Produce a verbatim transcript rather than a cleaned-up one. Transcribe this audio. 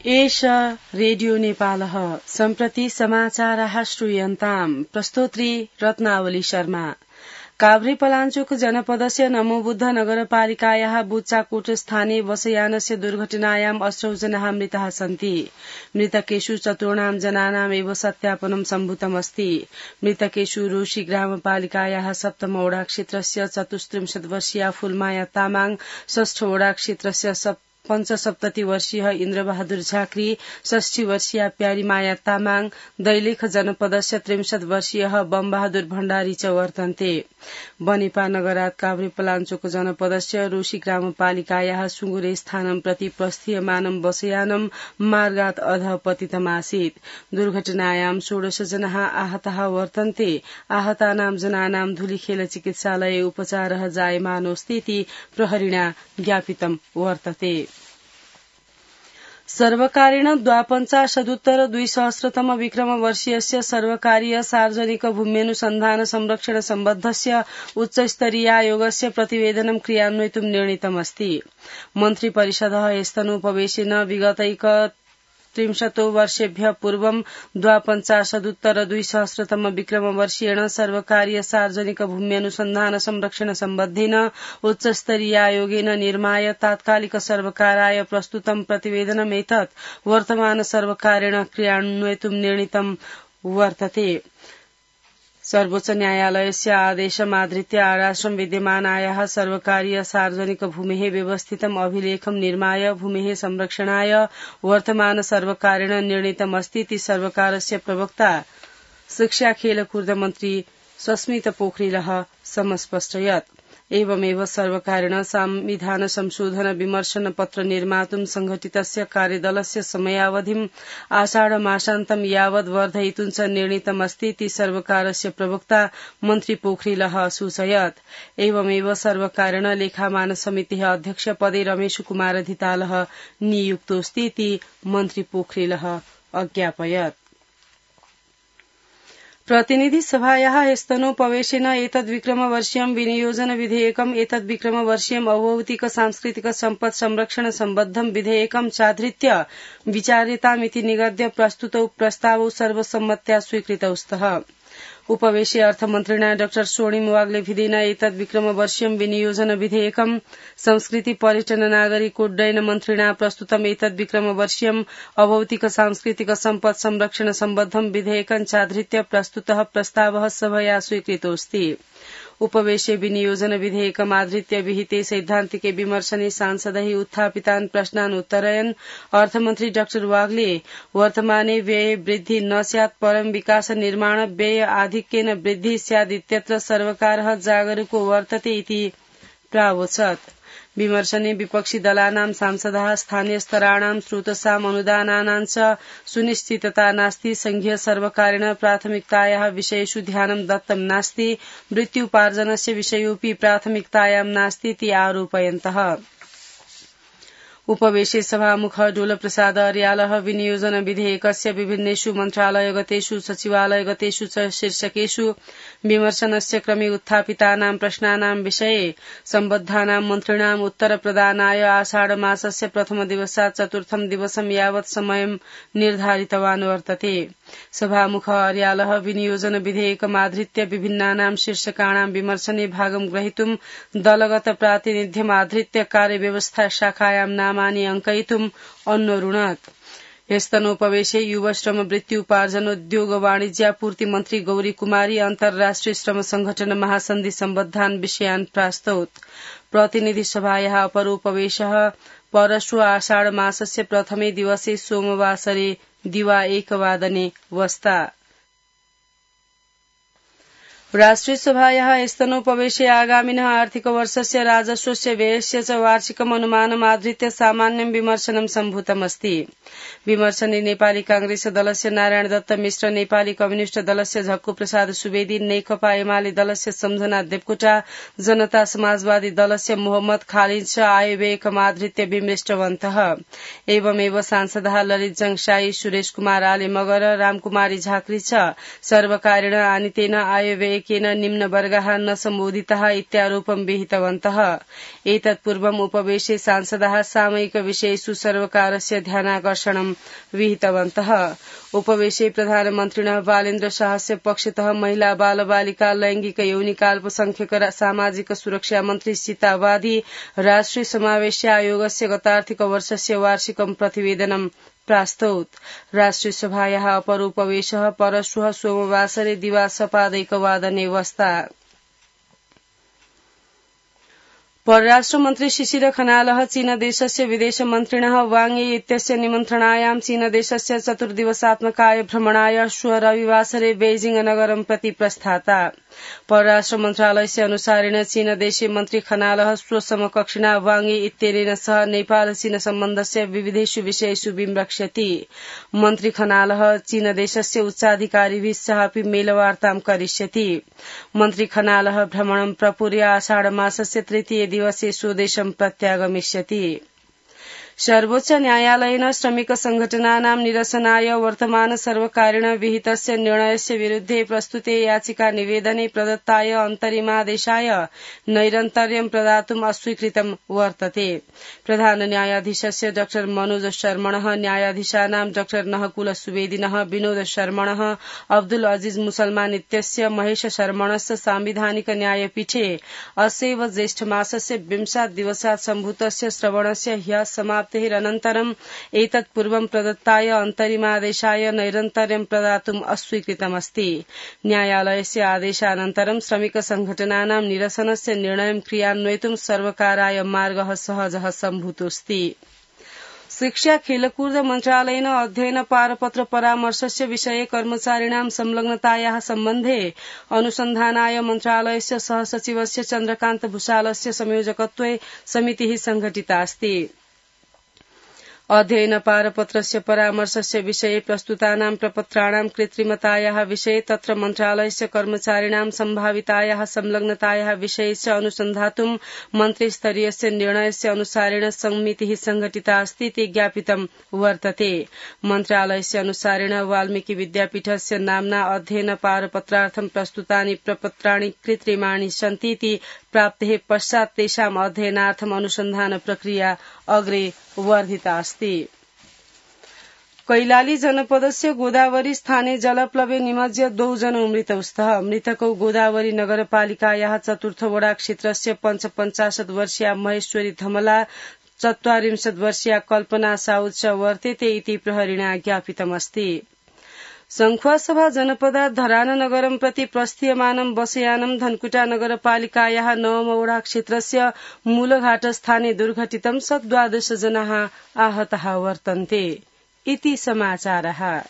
एष रेडियो नेपालः सम्प्रति समाचारः श्रूयन्ताम् प्रस्तोत्री रत्नावली शर्मा। काभ्रे पलाञ्चोक जनपदस्य नमोबुद्ध नगरपालिकायाः बुच्चाकोट स्थानीय बसयानस्य दुर्घटनायाम् अष्टौ जनाः मृताः सन्ति। मृतकेषु चतुर्णां जनानाम् एव सत्यापनं सम्भूतमस्ति। मृतकेषु रोशी ग्रामपालिकायाः सप्तम वडा क्षेत्रस्य चतुस्त्रिंशत् वर्षीया फूलमाया तामाङ, षष्ठ वडा क्षेत्रस्य पञ्चसप्तति वर्षीय इन्द्रबहादुर झाँक्री, षष्ठी वर्षीया प्यारीमाया तामाङ, दैलेख जनपदस्य त्रिंशत् वर्षीय बमबहादुर भण्डारी च वर्तन्ते। बनेपा नगरात् काभ्रे पलाञ्चोक जनपदस्य रोशी ग्रामपालिकायाः सुङ्गुरे स्थानं प्रति प्रस्थीयमानं बसयानं मार्गात् अधः पतितमासीत्। दुर्घटनायां षोडश जनाः आहताः वर्तन्ते। आहतानां जनानां धुलीखेल चिकित्सालये उपचारः जायमानोऽस्तीति प्रहरिणा ज्ञापितं वर्तते। सर्वकारेण द्वापञ्चाशदुत्तर द्विसहस्रतम विक्रमवर्षीयस्य सर्वकारीय सार्वजनिक भूम्यनुसन्धान संरक्षण सम्बद्धस्य उच्चस्तरीयायोगस्य प्रतिवेदनं क्रियान्वयितुं निर्णीतमस्ति। मन्त्रिपरिषदः ह्यस्तनोपवेशेन विगतैक त्रिंशतो वर्षेभ्यः पूर्वं द्वापञ्चाशदुत्तर द्विसहस्रतम विक्रमवर्षीयेण सर्वकारीय सार्वजनिक भूम्यनुसन्धान संरक्षण सम्बद्धेन उच्चस्तरीयायोगेन निर्माय तात्कालिक सर्वकाराय प्रस्तुतं प्रतिवेदनमेतत् वर्तमान सर्वकारेण क्रियान्वयितुं निर्णीतं वर्तते। सर्वोच्च न्यायालयस्य आदेशमाधृत्य आराश्रम विद्यमानायाः सर्वकारीय सार्वजनिक भूमेः व्यवस्थितम् अभिलेखं निर्माय भूमेः संरक्षणाय वर्तमान सर्वकारेण निर्णीतमस्तीति सर्वकारस्य प्रवक्ता शिक्षा खेलकूद मन्त्री सस्मित पोखरिलः समस्पष्टयत्। एवमेव सर्वकारेण संविधान संशोधन विमर्शन पत्र निर्मातुं संघटितस्य कार्यदलस्य समयावधिम् आषाढ मासान्तं यावत् वर्धयितुं च निर्णीतमस्तीति सर्वकारस्य प्रवक्ता मन्त्री पोखरिलः सूचयत्। एवमेव सर्वकारेण लेखामान समितिः अध्यक्ष पदे रमेश कुमार धितालः नियुक्तोऽस्तीति मन्त्री पोखरिलः अज्ञापयत्। प्रतिनिधि सभायाः ह्यस्तनोपवेशेन एतद्विक्रमवर्षीयं विनियोजन विधेयकम् एतद्विक्रमवर्षीयम् अभौतिक सांस्कृतिक सम्पत् संरक्षण सम्बद्धं विधेयकं चाधृत्य विचार्यतामिति निगद्य प्रस्तुतौ प्रस्तावौ सर्वसम्मत्या स्वीकृतौ स्तः। उपवेशे अर्थमन्त्रिणा डाक्टर स्वर्णिम वाग्लेभिदेन एतद्विक्रमवर्षीयं विनियोजन विधेयकम् संस्कृति पर्यटन नागरिक उड्डयन मन्त्रिणा प्रस्तुतम् एतद्विक्रमवर्षीयम् अभौतिक सांस्कृतिक सम्पत् संरक्षण सम्बद्धं विधेयकं चाधृत्य प्रस्तुतः प्रस्तावः सभया स्वीकृतोऽस्ति। उपवेशे विनियोजन विधेयकमाधृत्य विहिते सैद्धान्तिके विमर्शने सांसदैः उत्थापितान् प्रश्नान् उत्तरयन् अर्थमन्त्री डाक्टर वाग्ले वर्तमाने व्यये वृद्धि न स्यात् परं विकास निर्माण व्यय आधिक्येन वृद्धि स्यादित्यत्र सर्वकारः जागरूको वर्तते इति प्रावोचत्। विमर्शने विपक्षी दलानां सांसदाः स्थानीय स्तराणां स्रोतसाम् अनुदानानां च सुनिश्चितता नास्ति, संघीय सर्वकारेण प्राथमिकतायाः विषयेषु ध्यानं दत्तं नास्ति, मृत्युपार्जनस्य विषयोऽपि प्राथमिकतायां नास्तीति आरोपयन्तः। उपवेशे सभामुख डोलप्रसाद अर्यालः विनियोजन विधेयकस्य विभिन्नेषु मन्त्रालयगतेषु सचिवालयगतेषु च शीर्षकेषु विमर्शनस्य क्रमे उत्थापितानां प्रश्नानां विषये सम्बद्धानां मन्त्रिणाम् उत्तरप्रदानाय आषाढ मासस्य प्रथम दिवसात् चतुर्थं दिवसं यावत् समयं निर्धारितवान् वर्तते। सभामुख अर्यालः विनियोजन विधेयकमाधृत्य विभिन्नानां शीर्षकाणां विमर्शने भागं ग्रहीतुं दलगत प्रातिनिध्यमाधृत्य कार्यव्यवस्था शाखायां नामानि अङ्कयितुम् अन्वरुणत्। ह्यस्तनोपवेशे युव श्रम वृत्ति उपार्जनोद्योग वाणिज्यापूर्ति मन्त्री गौरी कुमारी अन्तर्राष्ट्रिय श्रम संगठन महासन्धि सम्बद्धान् विषयान् प्रास्तौत्। प्रतिनिधि सभायाः अपरोपवेशः परश्व आषाढ मासस्य प्रथमे दिवसे सोमवासरे दिवा एकवादने वस्ता। राष्ट्रिय सभायाः ह्यस्तनोपवेशे आगामिनः आर्थिक वर्षस्य राजस्वस्य व्ययस्य च वार्षिकम् अनुमानमाधृत्य सामान्यं विमर्शनं सम्भूतमस्ति। विमर्शने नेपाली कांग्रेस दलस्य नारायण दत्त मिश्र, नेपाली कम्युनिष्ट दलस्य झक्कु प्रसाद सुवेदी, नेकपा एमाले दलस्य सम्झना देवकोटा, जनता समाजवादी दलस्य मोहम्मद खालिद च आयव्ययकमाधृत्य विमृष्टवन्तः। एवमेव सांसदः ललित जङशाई, सुरेश कुमार आले मगर, रामकुमारी झाँक्री च सर्वकारेण आनीतेन आयव्यय विधेयकेन निम्नवर्गाः न सम्बोधिताः इत्यारोपं विहितवन्तः। एतत्पूर्वम् उपवेशे सांसदाः सामयिक विषयेषु सर्वकारस्य ध्यानाकर्षणं विहितवन्तः। उपवेशे प्रधानमन्त्रिणः बालेन्द्र शाहस्य पक्षतः महिला बाल बालिका लैंगिक यौनिक अल्पसंख्यक सामाजिक सुरक्षा मन्त्री सीता वादी राष्ट्रिय समावेश आयोगस्य गतार्थिक वर्षस्य वार्षिकं प्रतिवेदनं प्रास्तौत्। राष्ट्रिय सभायाः अपरोपवेशः परश्वः सोमवासरे दिवासपादैकवादने वस्ता। परराष्ट्रमन्त्री शिशिर खनालः चीनदेशस्य विदेशमन्त्रिणः वांग यी इत्यस्य निमन्त्रणायां चीनदेशस्य चतुर्दिवसात्मकाय भ्रमणाय श्व रविवासरे बेइजिङ नगरं प्रति प्रस्थाता। परराष्ट्र मन्त्रालयस्य अनुसारेण चीनदेशीय मन्त्री खनालः स्वसमकक्षिणा वांग यी इत्यनेन सह नेपाल चीन सम्बन्धस्य विविधेषु विषयेषु विमृक्षति। मन्त्री खनालः चीनदेशस्य उच्चाधिकारिभिः सह अपि मेलवार्तां करिष्यति। मन्त्री खनालः भ्रमणं प्रपूर्य आषाढ मासस्य तृतीय दिवसे स्वदेशं प्रत्यागमिष्यति। सर्वोच्च न्यायालयेन श्रमिक संघटनानां निरसनाय वर्तमान सर्वकारेण विहितस्य निर्णयस्य विरुद्धे प्रस्तुते याचिका निवेदने प्रदत्ताय अन्तरिमादेशाय नैरन्तर्यं प्रदातुम् अस्वीकृतं वर्तते। प्रधान न्यायाधीशस्य डॉ मनोज शर्मणः न्यायाधीशानां डॉ नहकुल सुवेदिनः विनोद शर्मणः अब्दुल अजीज मुसलमान इत्यस्य महेश शर्मणस्य सांविधानिक न्यायपीठे अस्यैव ज्येष्ठमासस्य विंशात् दिवसात् सम्भूतस्य श्रवणस्य ह्यः समाप्तेरनन्तरम् एतत्पूर्वं प्रदत्ताय अन्तरिमादेशाय नैरन्तर्यं प्रदातुम् अस्वीकृतमस्ति। न्यायालयस्य आदेशानन्तरं श्रमिक संघटनानां निरसनस्य निर्णयं क्रियान्वयितुं सर्वकाराय मार्गः सहजः सम्भूतोऽस्ति। शिक्षा खेलकूद मन्त्रालयेन अध्ययन पारपत्र परामर्शस्य विषये कर्मचारिणां संलग्नतायाः सम्बन्धे अनुसन्धानाय मन्त्रालयस्य सहसचिवस्य चन्द्रकान्त भूषालस्य संयोजकत्वे समितिः संघटिता अस्ति। अध्ययन पारपत्रस्य परामर्शस्य विषये प्रस्तुतानां प्रपत्राणां कृत्रिमतायाः विषये तत्र मन्त्रालयस्य कर्मचारिणां सम्भावितायाः संलग्नतायाः विषये च अनुसन्धातुं मन्त्रिस्तरीयस्य निर्णयस्य अनुसारेण समितिः संघटिता अस्ति इति ज्ञापितं वर्तते। मन्त्रालयस्य अनुसारेण वाल्मीकि विद्यापीठस्य नाम्ना अध्ययन पारपत्रार्थं प्रस्तुतानि प्रपत्राणि कृत्रिमाणि सन्ति इति प्राप्तेः पश्चात् तेषाम् अध्ययनार्थम् अनुसन्धान प्रक्रिया अग्रे वर्धिता अस्ति। कैलाली जनपदस्य गोदावरी स्थाने जलप्लवे निमज्य द्वौ जनौ मृतौ स्तः। मृतकौ गोदावरी नगरपालिकायाः चतुर्थ वडा क्षेत्रस्य पञ्चपञ्चाशत् वर्षीया महेश्वरी धमला चत्वारिंशत् वर्षीया कल्पना साउद च वर्तेते इति प्रहरिणा ज्ञापितमस्ति। संख्वासभा जनपदात् धरान नगरं प्रति प्रस्थीयमानं बसयानं धनकुटा नगरपालिकायाः नवमवडा क्षेत्रस्य मूलघाट स्थाने दुर्घटितं सत् द्वादश जनाः आहताः वर्तन्ते। इति समाचारः।